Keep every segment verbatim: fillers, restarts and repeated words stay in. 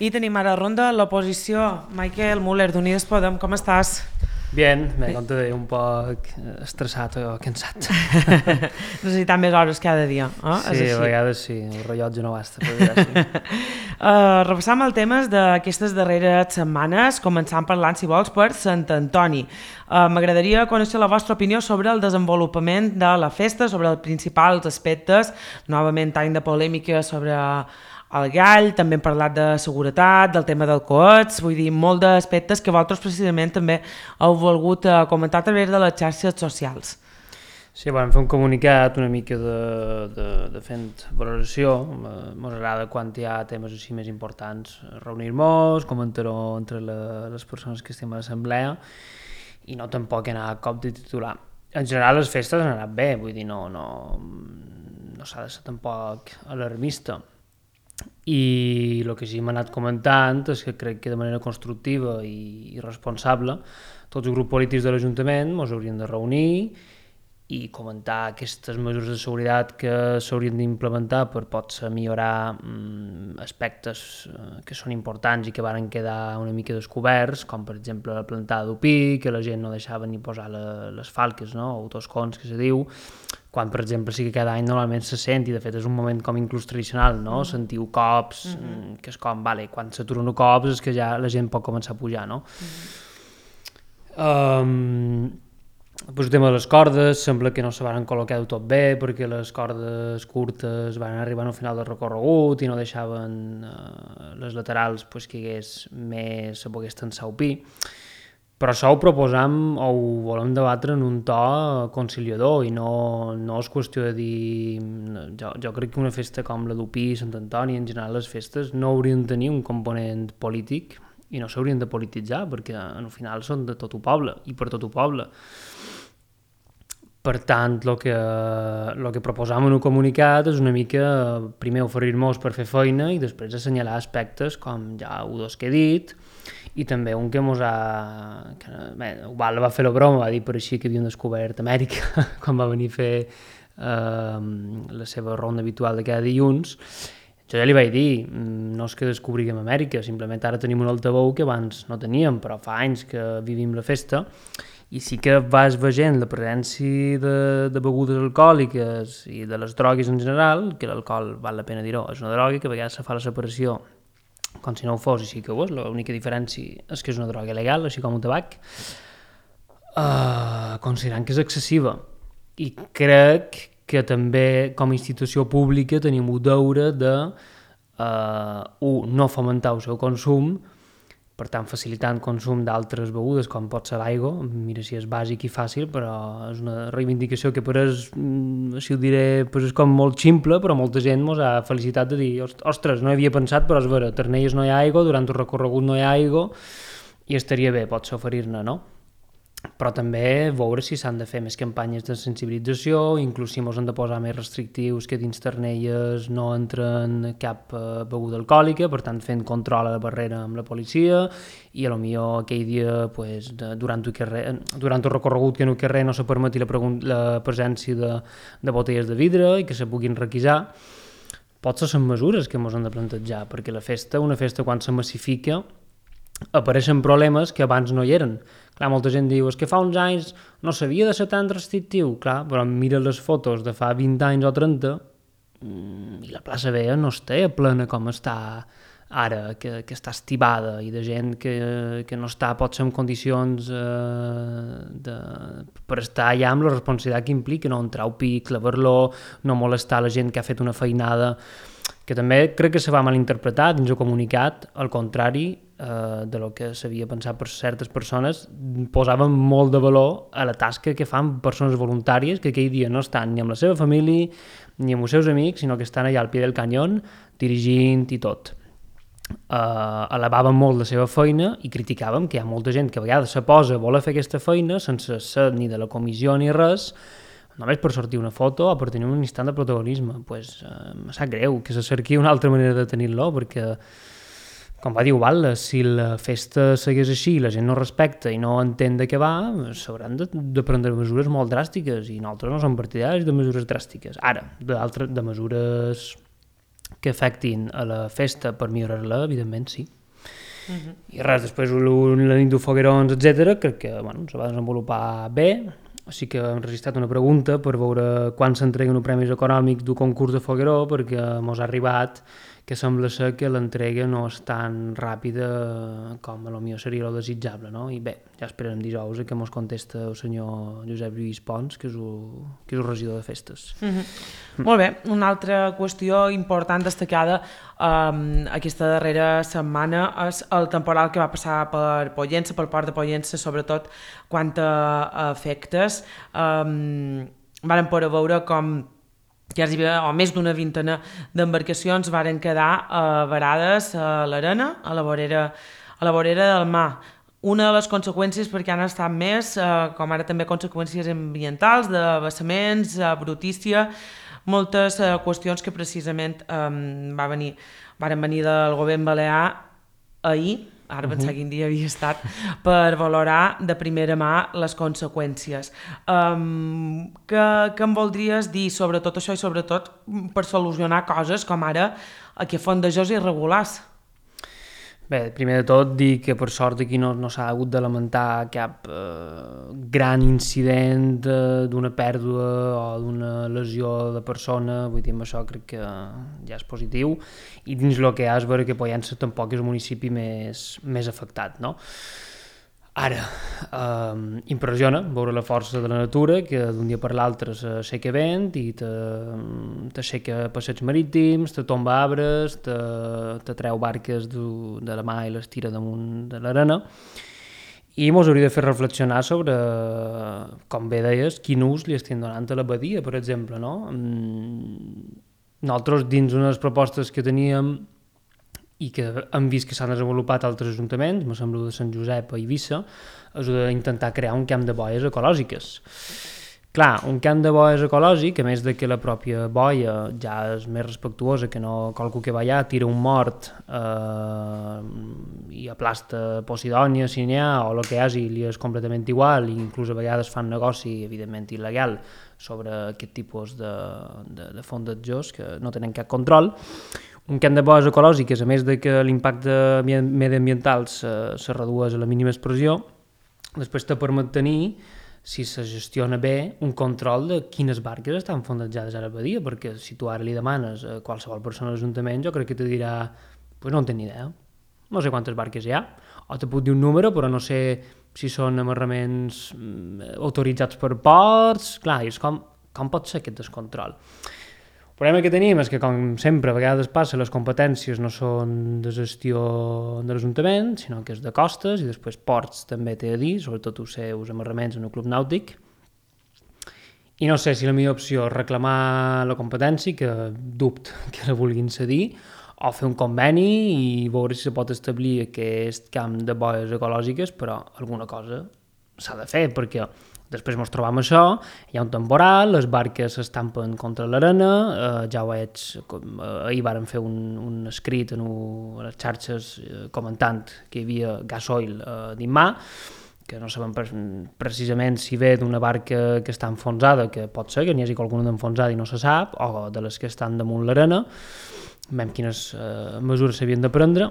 I tenim ara a ronda l'oposició. Michael Müller, d'Unides Podem, com estàs? Bien, me conto de un poc estressat o cansat. Necessitant més hores cada dia, eh? Sí, a vegades sí, el rellotge no basta. Sí. uh, repassam el temes d'aquestes darreres setmanes, començant parlant, si vols, per Sant Antoni. Uh, M'agradaria conèixer la vostra opinió sobre el desenvolupament de la festa, sobre els principals aspectes, novament any de polèmica sobre el gall, també hem parlat de seguretat, del tema del coets, vull dir, molt d'aspectes que vosaltres precisament també heu volgut uh, comentar a través de les xarxes socials. Sí, vam fer un comunicat una mica de, de, de fent valoració. Ens agrada quan hi ha temes així més importants reunir-nos, comentar-ho entre la, les persones que estem a l'assemblea i no tampoc anar a cop de titular. En general les festes han anat bé, vull dir, no, no, no s'ha de ser tampoc alarmista. I el que sí m'ha anat comentant és que crec que de manera constructiva i, i responsable tots els grups polítics de l'Ajuntament ens haurien de reunir i comentar aquestes mesures de seguretat que s'haurien d'implementar per potser millorar mm, aspectes eh, que són importants i que varen quedar una mica descoberts, com per exemple la plantada d'Upí, que la gent no deixava ni posar la, les falques, no? O toscons, que se diu, quan per exemple sí que cada any normalment se sent, i de fet és un moment com inclús tradicional, no? Mm. Sentiu cops, mm-hmm. que és com, vale, quan s'aturen cops és que ja la gent pot començar a pujar, no? Mm-hmm. Um, Pues el tema de les cordes, sembla que no se van col·locar del tot bé perquè les cordes curtes van arribar al final del recorregut i no deixaven eh, les laterals pues, que hagués més, se pogués tensar el pi. Però això ho proposam o ho volem debatre en un to conciliador i no, no és qüestió de dir... Jo, jo crec que una festa com la d'Upí, Sant Antoni, en general les festes no haurien de tenir un component polític i no s'haurien de polititzar perquè al final són de tot el poble i per tot el poble. Per tant, el que, el que proposam en un comunicat és una mica primer oferir-nos per fer feina i després assenyalar aspectes com ja ho dos que he dit i també un que mos ha... Que, bé, Ubal va fer la broma, va dir per així que havien descobert Amèrica quan va venir a fer eh, la seva ronda habitual de cada dilluns. Jo ja li vaig dir, no és que descobriguem Amèrica, simplement ara tenim un altaveu que abans no teníem, però fa anys que vivim la festa i sí que vas veient la presència de, de begudes alcohòliques i de les drogues en general, que l'alcohol, val la pena dir-ho, és una droga que a vegades se fa la separació com si no ho fos i sí que ho és, l'única diferència és que és una droga legal, així com el tabac, uh, considerant que és excessiva. I crec que també com a institució pública tenim el deure de uh, un, no fomentar el seu consum, per tant facilitant consum d'altres begudes com pot ser l'aigua, mira si és bàsic i fàcil, però és una reivindicació que per és, si ho diré, pues és com molt ximple, però molta gent ens ha felicitat de dir, ostres, no hi havia pensat, però és vera, a Ternelles no hi ha aigua, durant el recorregut no hi ha aigua, i estaria bé, pot ser oferir-ne, no? Però també veure si s'han de fer més campanyes de sensibilització, inclús si ens han de posar més restrictius que dins Ternelles no entren cap eh, beguda alcohòlica, per tant fent control a la barrera amb la policia i potser aquell dia pues, de, durant, el carrer, durant el recorregut que en el carrer no se permeti la, la presència de, de botelles de vidre i que se puguin requisar. Potser són mesures que ens han de plantejar, perquè la festa, una festa quan se massifica, apareixen problemes que abans no hi eren. Clar, molta gent diu, és que fa uns anys no s'havia de ser tan restrictiu, clar, però mira les fotos de fa vint anys o trenta i la plaça Vella no està plena com està ara, que, que està estibada i de gent que, que no està potser en condicions eh, de, per estar allà amb la responsabilitat que implica, no entrar al pic, clavar-lo, no molestar la gent que ha fet una feinada, que també crec que se va malinterpretar dins el comunicat, al contrari eh, de lo que s'havia pensat per certes persones, posaven molt de valor a la tasca que fan persones voluntàries que aquell dia no estan ni amb la seva família ni amb els seus amics, sinó que estan allà al pie del canyón dirigint i tot. Uh, elevaven molt la seva feina i criticàvem que hi ha molta gent que a vegades se posa a voler fer aquesta feina sense ser ni de la comissió ni res, només per sortir una foto o per tenir un instant de protagonisme. Pues, uh, em sap greu que se cerqui una altra manera de tenir-lo, perquè, com va dir Ubal, si la festa segueix així i la gent no respecta i no entén de què va, s'hauran de, de prendre mesures molt dràstiques i nosaltres no som partidaris de mesures dràstiques. Ara, de, de mesures que afectin a la festa per millorar-la, evidentment sí. Uh -huh. I res, després la nit de foguerons, etcètera, crec que bueno, se va desenvolupar bé. Sí que hem registrat una pregunta per veure quan s'entreguen els premis econòmics d'un concurs de fogueró, perquè mos ha arribat que sembla ser que l'entrega no és tan ràpida com potser seria el desitjable, no? I bé, ja esperarem dijous que mos contesta el senyor Josep Lluís Pons, que és el, que és el regidor de festes. Uh -huh. mm. Molt bé, una altra qüestió important destacada um, aquesta darrera setmana és el temporal que va passar per Pollença, pel port de Pollença, sobretot quant a efectes. Um, varen poder veure com ja hi havia o més d'una vintena d'embarcacions varen quedar eh, varades a l'arena, a la vorera, a la vorera del mar. Una de les conseqüències, perquè han estat més, eh, com ara també conseqüències ambientals, de vessaments, eh, brutícia, moltes eh, qüestions que precisament eh, va venir, varen venir del govern balear ahir, ara pensar uh-huh. quin dia havia estat, per valorar de primera mà les conseqüències. Um, què, què em voldries dir sobre tot això i sobretot per solucionar coses com ara aquí a Fondejós irregulars? Bé, primer de tot dir que per sort aquí no, no s'ha hagut de lamentar cap eh, gran incident eh, d'una pèrdua o d'una lesió de persona, vull dir, amb això crec que ja és positiu, i dins el que hi ha és veure que Pollença tampoc és el municipi més, més afectat, no? Ara, eh, impressiona veure la força de la natura, que d'un dia per l'altre s'aixeca vent i t'aixeca passeigs marítims, te tomba arbres, te, te treu barques de, de la mà i les tira damunt de l'arena, i mos hauria de fer reflexionar sobre, com bé deies, quin ús li estem donant a la badia, per exemple, no? Nosaltres, dins unes propostes que teníem i que hem vist que s'han desenvolupat altres ajuntaments, me sembla de Sant Josep a Eivissa, és d'intentar crear un camp de boies ecològiques. Clar, un camp de boies ecològic, a més de que la pròpia boia ja és més respectuosa, que no qualcú que va allà tira un mort eh, i aplasta Posidònia, si n'hi ha, o el que hi hagi, li és completament igual, i inclús a vegades fan negoci, evidentment il·legal, sobre aquest tipus de, de, de fondatjors que no tenen cap control. Un camp de boies ecològiques, a més de que l'impacte mediambiental se, se redueix a la mínima expressió, després te permet tenir, si se gestiona bé, un control de quines barques estan fondatjades a la badia, perquè si tu ara li demanes a qualsevol persona a l'Ajuntament, jo crec que te dirà, pues no en tinc ni idea, no sé quantes barques hi ha, o te puc dir un número, però no sé si són amarraments autoritzats per ports, clar, és com, com pot ser aquest descontrol? El problema que tenim és que, com sempre, a vegades passa, les competències no són de gestió de l'Ajuntament, sinó que és de costes, i després ports també té a dir, sobretot els seus amarraments en el club nàutic. I no sé si la millor opció és reclamar la competència, que dubte que la vulguin cedir, o fer un conveni i veure si se pot establir aquest camp de boies ecològiques, però alguna cosa s'ha de fer, perquè després ens trobam això, hi ha un temporal, les barques s'estampen contra l'arena, eh, ja ho veig, com, eh, ahir vàrem fer un, un escrit en u, a les xarxes eh, comentant que hi havia gasoil eh, dins mà, que no sabem pre precisament si ve d'una barca que està enfonsada, que pot ser que n'hi hagi alguna d'enfonsada i no se sap, o de les que estan damunt l'arena, veiem quines eh, mesures s'havien de prendre.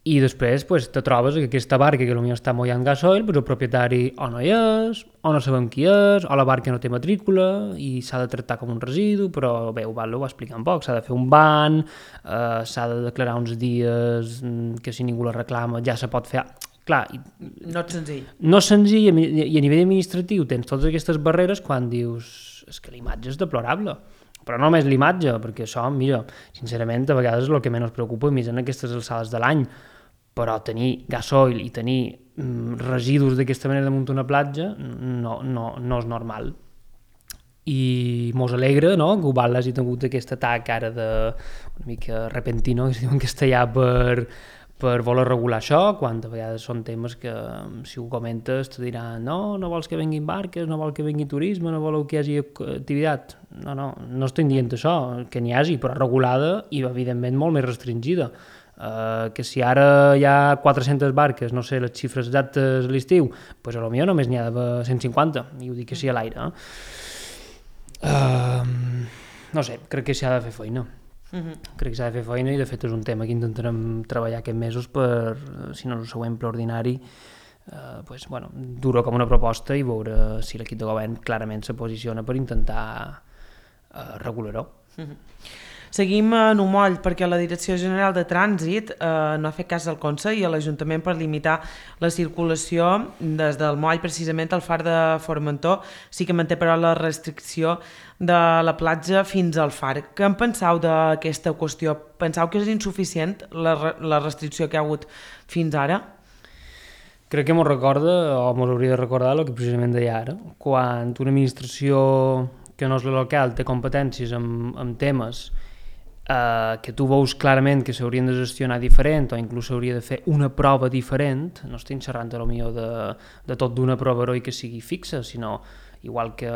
I després pues, te trobes que aquesta barca que potser està mollant gasoil, pues, el propietari o no hi és, o no sabem qui és, o la barca no té matrícula i s'ha de tractar com un residu, però bé, ho va, ho va explicar un poc, s'ha de fer un ban, eh, s'ha de declarar uns dies que si ningú la reclama ja se pot fer... Clar, no és senzill. No és senzill, i a nivell administratiu tens totes aquestes barreres quan dius és que l'imatge és deplorable. Però no només l'imatge, perquè això, mira, sincerament, a vegades és el que menys preocupa, més en aquestes alçades de l'any, però tenir gasoil i tenir mm, residus d'aquesta manera damunt una platja no, no, no és normal. I mos alegra, no?, que Ubalda hagi tingut aquest atac ara de una mica repentino, que es diu en castellà, per, per voler regular això, quan a vegades són temes que si ho comentes te diran no, no vols que vinguin barques, no vol que vingui turisme, no voleu que hi hagi activitat. No, no, no estic dient això, que n'hi hagi, però regulada i evidentment molt més restringida. Uh, que si ara hi ha quatre-centes barques, no sé les xifres exactes a l'estiu, doncs potser només n'hi ha de cent cinquanta, i ho dic així a l'aire. Eh? Uh, no sé, crec que s'ha de fer feina. Uh-huh. Crec que s'ha de fer feina i de fet és un tema que intentarem treballar aquests mesos per, si no és el següent ple ordinari, eh, pues, bueno, dur-ho com una proposta i veure si l'equip de govern clarament se posiciona per intentar eh, regular-ho. Uh-huh. Seguim en un moll perquè la Direcció General de Trànsit eh, no ha fet cas del Consell i a l'Ajuntament per limitar la circulació des del moll precisament al far de Formentor. Sí que manté però la restricció de la platja fins al far. Què en penseu d'aquesta qüestió? Penseu que és insuficient la, la restricció que hi ha hagut fins ara? Crec que m'ho recorda, o m'ho hauria de recordar el que precisament deia ara, quan una administració que no és la local té competències en, en temes Uh, que tu veus clarament que s'haurien de gestionar diferent o inclús s'hauria de fer una prova diferent, no estic xerrant potser de, de tot d'una prova heroi que sigui fixa, sinó igual que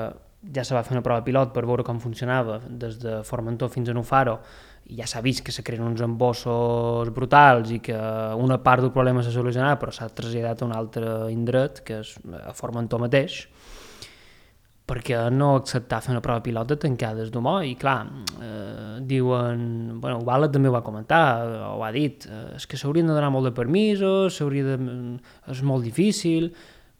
ja se va fer una prova pilot per veure com funcionava des de Formentor fins a Nufaro i ja s'ha vist que se creen uns embossos brutals i que una part del problema s'ha solucionat però s'ha traslladat a un altre indret que és a Formentor mateix. Perquè no acceptar fer una prova pilot de tancades d'humor i clar, eh, diuen, bueno, Ubala també ho va comentar, ho ha dit, eh, és que s'haurien de donar molt de permisos, s'hauria de... és molt difícil,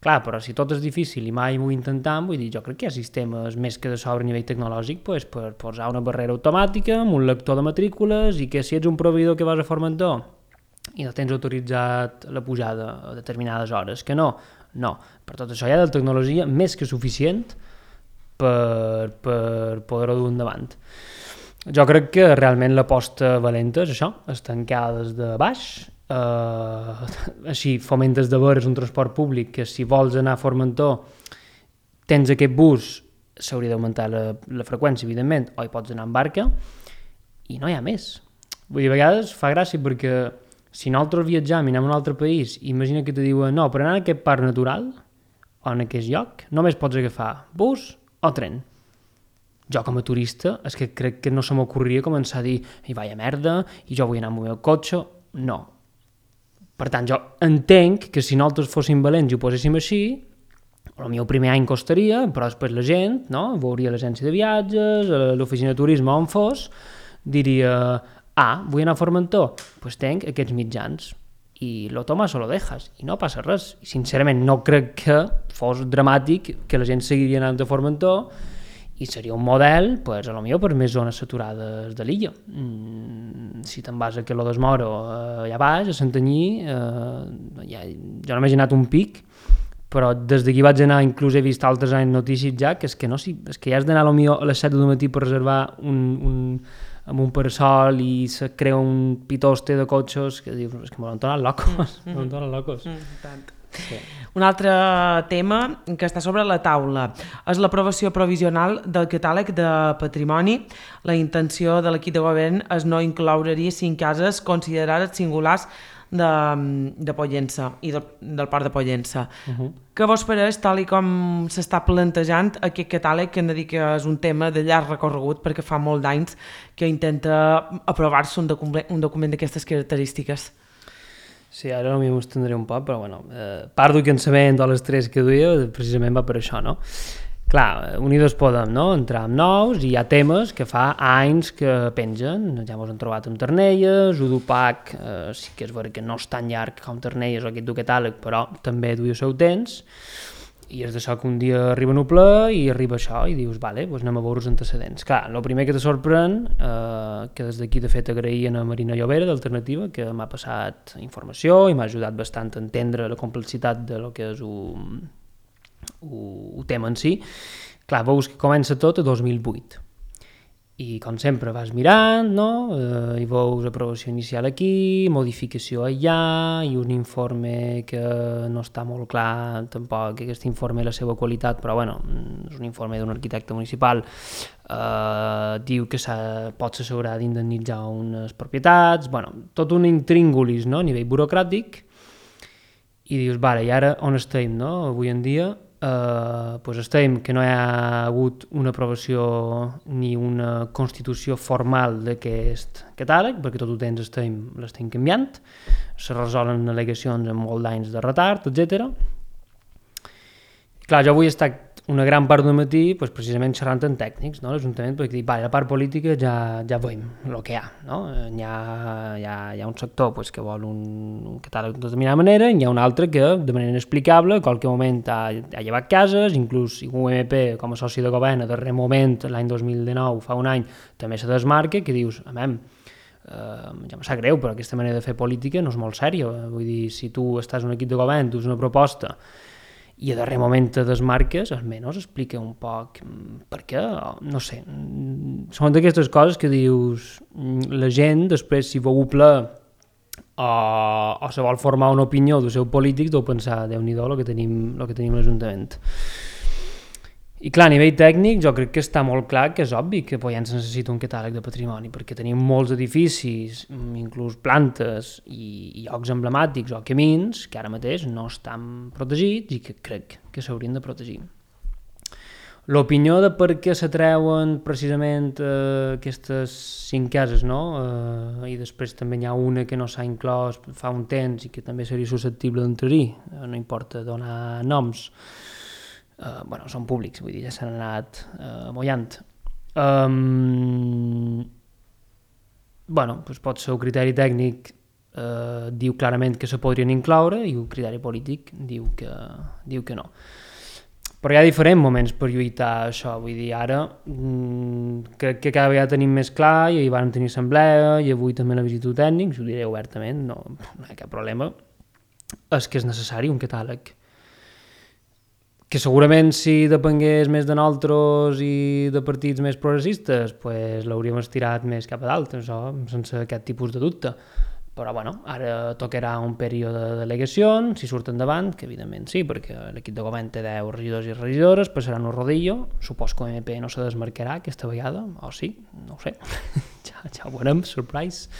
clar, però si tot és difícil i mai ho intentem, vull dir, jo crec que hi ha sistemes més que de sobre nivell tecnològic pues, per posar una barrera automàtica amb un lector de matrícules i que si ets un proveïdor que vas a Formentor i no tens autoritzat la pujada a determinades hores, que no, no, per tot això hi ha de tecnologia més que suficient per, per poder-ho dur endavant. Jo crec que realment l'aposta valenta és això, és tancar des de baix, eh, així fomentes de veure un transport públic que si vols anar a Formentor tens aquest bus, s'hauria d'augmentar la, la freqüència, evidentment, o hi pots anar en barca, i no hi ha més. Vull dir, a vegades fa gràcia perquè si nosaltres viatjam i anem a un altre país, imagina que te diuen, no, per anar a aquest parc natural o en aquest lloc, només pots agafar bus o tren. Jo com a turista és que crec que no se m'ocorria començar a dir i vaya merda, i jo vull anar amb el meu cotxe. No. Per tant, jo entenc que si nosaltres fóssim valents i ho poséssim així, potser el primer any costaria, però després la gent, no? Veuria l'agència de viatges, l'oficina de turisme on fos, diria, ah, vull anar a Formentor, doncs pues tenc aquests mitjans. I lo tomas o lo dejas, i no passa res. I sincerament no crec que fos dramàtic que la gent seguiria anant a Formentor i seria un model, pues, a lo millor per més zones saturades de l'illa. Mm, si te'n vas a Queló des Moro, eh, allà baix, a Santanyí, eh, ja, jo només he anat un pic, però des d'aquí vaig anar, inclús he vist altres anys notícies ja, que és que, no, si, és que ja has d'anar a lo millor a les set del matí per reservar un... un amb un parasol i se crea un pitoste de cotxes que dius, és que m'ho han tornat locos, mm, m'ho han tornat locos. Mm, tant. Sí. Un altre tema que està sobre la taula és l'aprovació provisional del catàleg de patrimoni. La intenció de l'equip de govern és no incloure-hi cinc cases considerades singulars de, de Pollença i del, del Port de Pollença. Uh-huh. Què vos pareix, tal i com s'està plantejant aquest catàleg, que hem de dir que és un tema de llarg recorregut perquè fa molt d'anys que intenta aprovar-se un document, un document d'aquestes característiques? Sí, ara no m'hi m'estendré un poc, però bueno, eh, part del cansament de les tres que duia precisament va per això, no? Clar, Unidos Podem, no? Entrar amb nous i hi ha temes que fa anys que pengen, ja mos han trobat amb Ternelles, Udupac, eh, sí que és vera que no és tan llarg com Ternelles o aquest du catàleg, però també duia el seu temps, i és d'això que un dia arriba un ple i arriba això i dius, vale, doncs anem a veure els antecedents. Clar, el primer que te sorprèn, eh, que des d'aquí de fet agraïen a Marina Llobera d'Alternativa, que m'ha passat informació i m'ha ajudat bastant a entendre la complexitat de lo que és un... el tema en si. Clar, veus que comença tot a dos mil vuit i com sempre vas mirant, no? Eh, i veus aprovació inicial aquí, modificació allà i un informe que no està molt clar tampoc aquest informe la seva qualitat, però bueno, és un informe d'un arquitecte municipal, eh, diu que pot s'assegurar d'indemnitzar unes propietats, bueno, tot un intríngulis, no? A nivell burocràtic, i dius, vale, i ara on estem, no? Avui en dia Uh, pues estem que no hi ha hagut una aprovació ni una constitució formal d'aquest catàleg, perquè tot el temps estem, l'estem canviant, se resolen al·legacions amb molt d'anys de retard, etcètera. Clar, jo avui he estat una gran part del matí pues, precisament xerrant amb tècnics, no? l'Ajuntament, perquè dic, la part política ja, ja veiem el que hi ha. No? Hi, ha, hi, ha, hi ha un sector pues, que vol un, un catàleg de determinada manera, i hi ha un altre que, de manera inexplicable, en qualque moment ha, ha llevat cases, inclús U M P, com a soci de govern, a darrer moment, l'any dos mil dinou, fa un any, també se desmarca, que dius, amem, Uh, ja em sap greu, però aquesta manera de fer política no és molt sèria. Vull dir, si tu estàs en un equip de govern, dus una proposta i a darrer moment te desmarques, almenys explica un poc per què, no sé. Són d'aquestes coses que dius, la gent després si veu ple o, o se vol formar una opinió del seu polític, deu pensar, Déu-n'hi-do el que tenim, el que tenim a l'Ajuntament. I clar, a nivell tècnic jo crec que està molt clar que és obvi que Pollença necessita un catàleg de patrimoni, perquè tenim molts edificis, inclús plantes i, i llocs emblemàtics o camins que ara mateix no estan protegits i que crec que s'haurien de protegir. L'opinió de per què s'atreuen precisament eh, aquestes cinc cases, no? Eh, i després també hi ha una que no s'ha inclòs fa un temps i que també seria susceptible d'entrar-hi, eh, no importa donar noms. Uh, bueno, són públics, vull dir, ja s'han anat uh, mullant. Um, bueno, doncs pot ser un criteri tècnic uh, diu clarament que se podrien incloure i un criteri polític diu que, diu que no. Però hi ha diferents moments per lluitar això, vull dir, ara mm, crec que cada vegada tenim més clar i ahir van tenir assemblea i avui també la visita tècnics, ho diré obertament, no, no hi ha cap problema, és que és necessari un catàleg. Que segurament si depengués més de nosaltres i de partits més progressistes, pues l'hauríem estirat més cap a dalt, això, sense aquest tipus de dubte. Però bueno, ara tocarà un període de delegacions, si surt endavant, que evidentment sí, perquè l'equip de govern té deu regidors i regidores, passaran un rodillo, supos que l'O M P no se desmarcarà aquesta vegada, o sí, no ho sé, ja, ja ho veurem, surprise.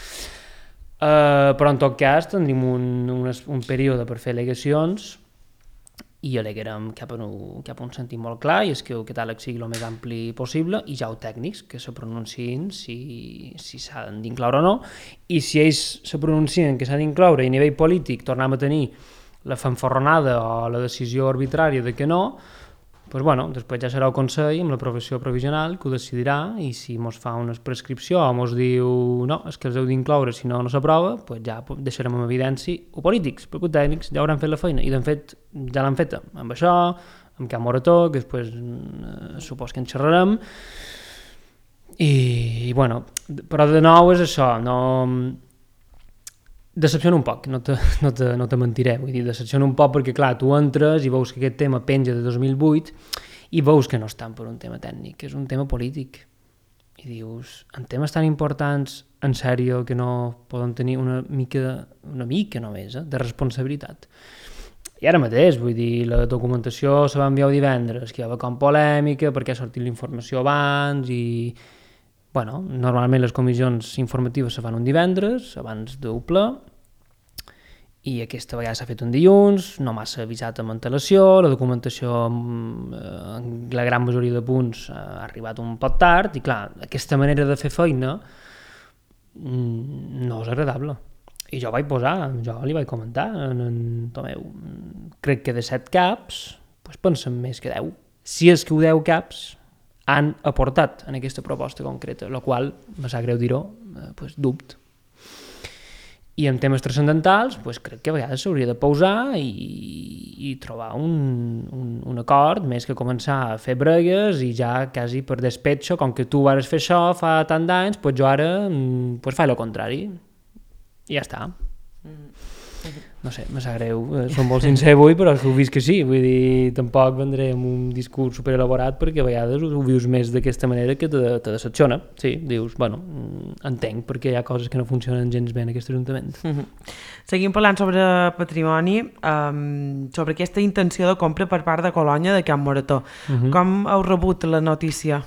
Uh, però en tot cas tindrem un, un, un període per fer delegacions i alegarem cap a, un, cap a un sentit molt clar, i és que el catàleg sigui el més ampli possible, i ja ho tècnics que se pronunciïn si, si s'han d'incloure o no, i si ells se pronuncien que s'ha d'incloure i a nivell polític tornem a tenir la fanfarronada o la decisió arbitrària de que no, doncs bueno, després ja serà el Consell amb l'aprovació provisional que ho decidirà, i si mos fa una prescripció o mos diu no, és que els heu d'incloure, si no no s'aprova, doncs ja deixarem en evidència o polítics, perquè els tècnics ja hauran fet la feina, i de fet ja l'han feta amb això, amb Can Morató, que després eh, supos que en xerrarem, i, i bueno, però de nou és això, no... Decepciona un poc, no te, no, te, no te mentiré, vull dir, decepciona un poc perquè, clar, tu entres i veus que aquest tema penja de dos mil vuit i veus que no estan per un tema tècnic, que és un tema polític. I dius, en temes tan importants, en sèrio, que no poden tenir una mica, una mica només, eh, de responsabilitat. I ara mateix, vull dir, la documentació se va enviar divendres, que hi havia com polèmica, perquè ha sortit la informació abans i... Bueno, normalment les comissions informatives se fan un divendres, abans d'un ple, i aquesta vegada s'ha fet un dilluns, no massa avisat amb antelació, la documentació en la gran majoria de punts ha arribat un poc tard, i clar, aquesta manera de fer feina no és agradable. I jo vaig posar, jo li vaig comentar, en, en Tomeu, crec que de set caps, doncs pensen més que deu. Si és que ho deu caps han aportat en aquesta proposta concreta, la qual, me sap greu dir-ho, eh, pues, dubte. I en temes transcendentals, pues, crec que a vegades s'hauria de pausar i, i trobar un, un, un acord, més que començar a fer bregues i ja quasi per despetxo, com que tu vares fer això fa tant d'anys, pues, jo ara pues, faig el contrari. I ja està. Mm. No sé, me sap greu, som molt sincer avui, però ho vist que sí, vull dir, tampoc vendré amb un discurs superelaborat perquè a vegades ho vius més d'aquesta manera que te, te decepciona, sí, dius, bueno, entenc perquè hi ha coses que no funcionen gens bé en aquest ajuntament. Mm-hmm. Seguim parlant sobre patrimoni, um, sobre aquesta intenció de compra per part de Colònia de Can Morató. Mm-hmm. Com heu rebut la notícia?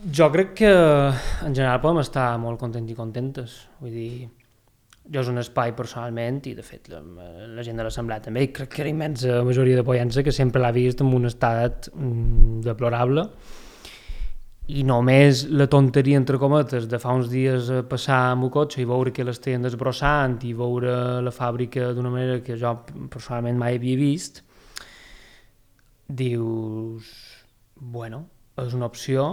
Jo crec que en general podem estar molt contents i contentes, vull dir, jo és un espai personalment, i de fet la, la gent de l'assemblea també, i crec que la immensa majoria de Pollença que sempre l'ha vist en un estat mm, deplorable, i només la tonteria entre cometes de fa uns dies passar amb el cotxe i veure que l'estaven desbrossant i veure la fàbrica d'una manera que jo personalment mai havia vist, dius, bueno, és una opció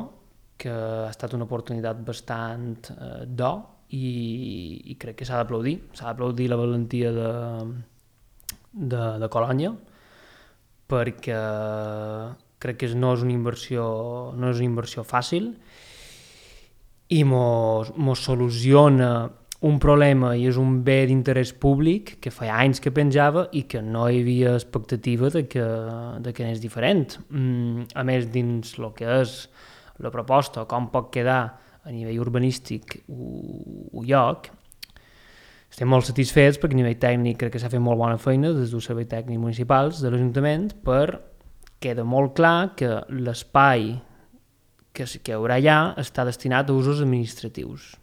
que ha estat una oportunitat bastant eh, d'or i, i crec que s'ha d'aplaudir. S'ha d'aplaudir la valentia de, de, de Colònia, perquè crec que no és una inversió, no és una inversió fàcil i mos, mos soluciona un problema i és un bé d'interès públic que fa anys que penjava i que no hi havia expectativa de que, de que anés diferent. Mm, a més, dins el que és la proposta, com pot quedar a nivell urbanístic un lloc, estem molt satisfets perquè a nivell tècnic crec que s'ha fet molt bona feina des dels serveis tècnics municipals de l'Ajuntament, per queda molt clar que l'espai que, que hi haurà allà està destinat a usos administratius.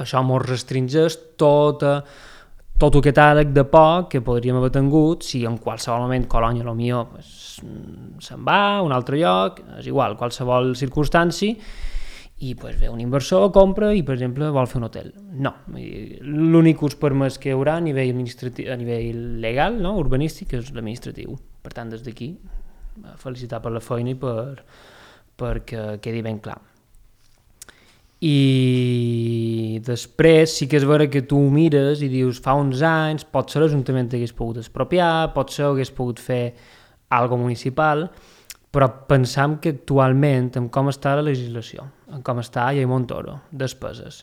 Això ens restringeix tota, tot aquest àrec de por que podríem haver tingut si en qualsevol moment Colònia potser pues, se'n va a un altre lloc, és igual, qualsevol circumstància, i pues, ve un inversor, compra i, per exemple, vol fer un hotel. No, l'únic ús permès que hi haurà a nivell, administratiu, a nivell legal, no? Urbanístic, és l'administratiu. Per tant, des d'aquí, felicitar per la feina i per, perquè quedi ben clar. I després sí que és vera que tu mires i dius fa uns anys potser l'Ajuntament hagués pogut expropiar, potser hagués pogut fer algo municipal, però pensam que actualment amb com està la legislació, amb com està Llei Montoro, despeses,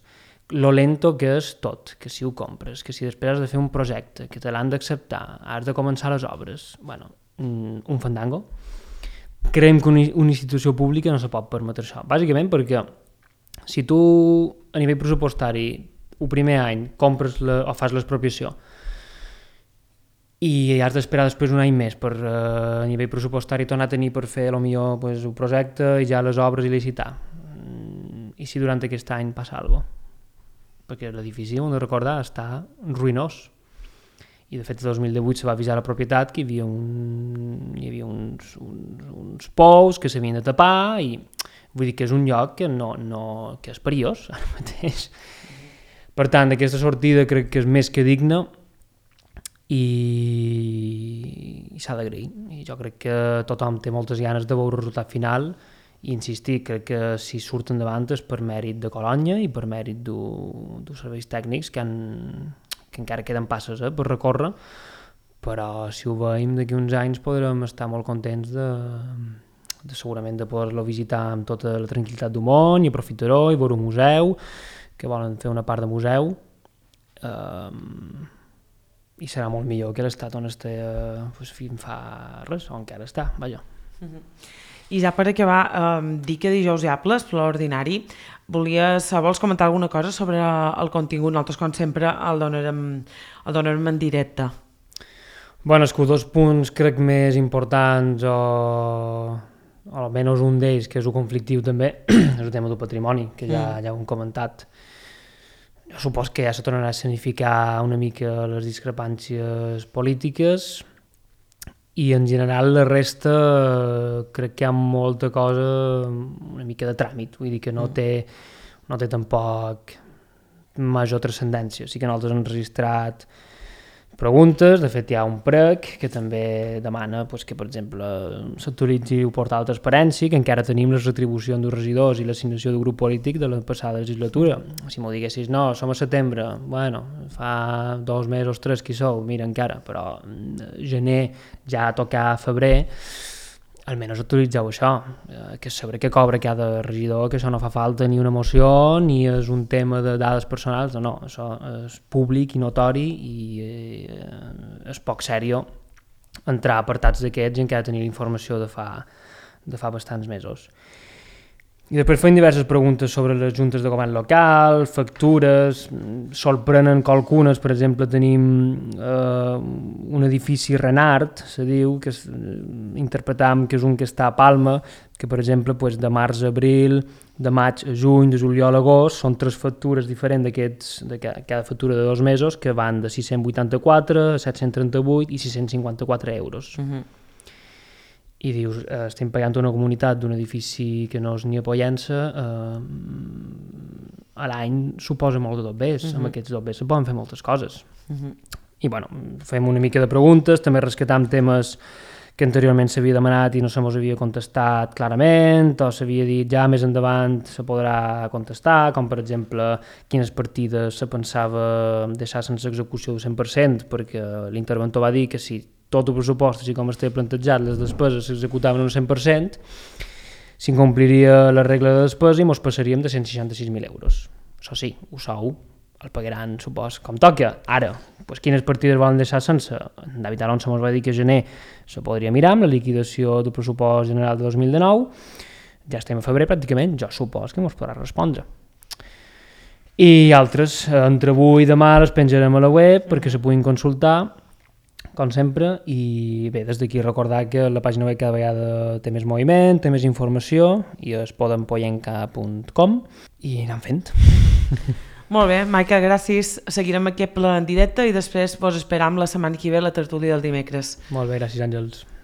lo lento que és tot, que si ho compres, que si després has de fer un projecte, que te l'han d'acceptar, has de començar les obres, bueno, un fandango. Creiem que una institució pública no se pot permetre això, bàsicament perquè si tu a nivell pressupostari el primer any compres la, o fas l'expropiació i has d'esperar després un any més per uh, a nivell pressupostari tornar a tenir per fer potser pues, un projecte i ja les obres i licitar, i si durant aquest any passa alguna cosa, perquè l'edifici, hem de recordar, està ruïnós i de fet el dos mil divuit se va avisar a la propietat que hi havia, un, hi havia uns, uns, uns pous que s'havien de tapar i vull dir que és un lloc que, no, no, que és perillós ara mateix. Per tant, aquesta sortida crec que és més que digna i, i s'ha d'agrair. I jo crec que tothom té moltes ganes de veure el resultat final i insistir, crec que si surt endavant és per mèrit de Colònia i per mèrit dels serveis tècnics que, han, que encara queden passes eh, per recórrer, però si ho veiem d'aquí uns anys podrem estar molt contents de... De, segurament de poder-lo visitar amb tota la tranquil·litat del món i aprofitar-ho i veure un museu, que volen fer una part de museu, um, i serà molt millor que l'estat on està eh, pues, fins fa res, on encara està, vaja. Uh-huh. I ja per acabar, um, dir que dijous hi ha ple ordinari, volies, vols comentar alguna cosa sobre el contingut? Nosaltres, com sempre, el donarem, el donarem en directe. Bueno, és que dos punts crec més importants o... o almenys un d'ells, que és el conflictiu també, és el tema del patrimoni, que ja, mm. ja ho hem comentat. Jo supos que ja se tornarà a significar una mica les discrepàncies polítiques i en general la resta crec que hi ha molta cosa una mica de tràmit, vull dir que no té, no té tampoc major transcendència. Sí que nosaltres hem registrat preguntes, de fet hi ha un prec que també demana pues, que, per exemple, s'actualitzi el portal de transparència, que encara tenim les retribucions dels regidors i l'assignació del grup polític de la passada legislatura. Si m'ho diguessis, no, som a setembre, bueno, fa dos mesos, tres que hi sou, mira, encara, però gener ja a tocar febrer, almenys actualitzeu això, que saber què cobra cada regidor, que això no fa falta ni una moció, ni és un tema de dades personals, no, no, això és públic i notori i eh, és poc sèrio entrar a apartats d'aquests i encara tenir informació de fa, de fa bastants mesos. I després feim diverses preguntes sobre les juntes de govern local, factures, sorprenen que algunes, per exemple, tenim eh, un edifici Renart, se diu, que es, interpretam que és un que està a Palma, que per exemple pues, de març a abril, de maig a juny, de juliol a agost, són tres factures diferents d'aquests, de cada factura de dos mesos, que van de sis-cents vuitanta-quatre, set-cents trenta-vuit i sis-cents cinquanta-quatre euros. Uh-huh. I dius, eh, estem pagant una comunitat d'un edifici que no és ni a Pollença, eh, a l'any suposa molt de dobbers, uh-huh. Amb aquests dobbers se poden fer moltes coses. Uh-huh. I bueno, fem una mica de preguntes, també rescatam temes que anteriorment s'havia demanat i no se mos havia contestat clarament, o s'havia dit ja més endavant se podrà contestar, com per exemple quines partides se pensava deixar sense execució del cent per cent, perquè l'interventor va dir que si tot el pressupost, així com estava plantejat, les despeses s'executaven un cent per cent, s'incompliria la regla de despesa i mos passaríem de cent seixanta-sis mil euros. Això sí, ho sou, el pagaran, supos, com toca. Ara, pues, quines partides volen deixar sense? En David Alonso ens va dir que a gener se podria mirar amb la liquidació del pressupost general de dos mil dinou. Ja estem a febrer pràcticament, jo supos que ens podrà respondre. I altres, entre avui i demà les penjarem a la web perquè se puguin consultar, com sempre, i bé, des d'aquí recordar que la pàgina web cada vegada té més moviment, té més informació, i es poden poyenca punt com i anem fent. Molt bé, Maica, gràcies. Seguirem aquest ple en directe i després vos esperam la setmana que ve la tertúlia del dimecres. Molt bé, gràcies, Àngels.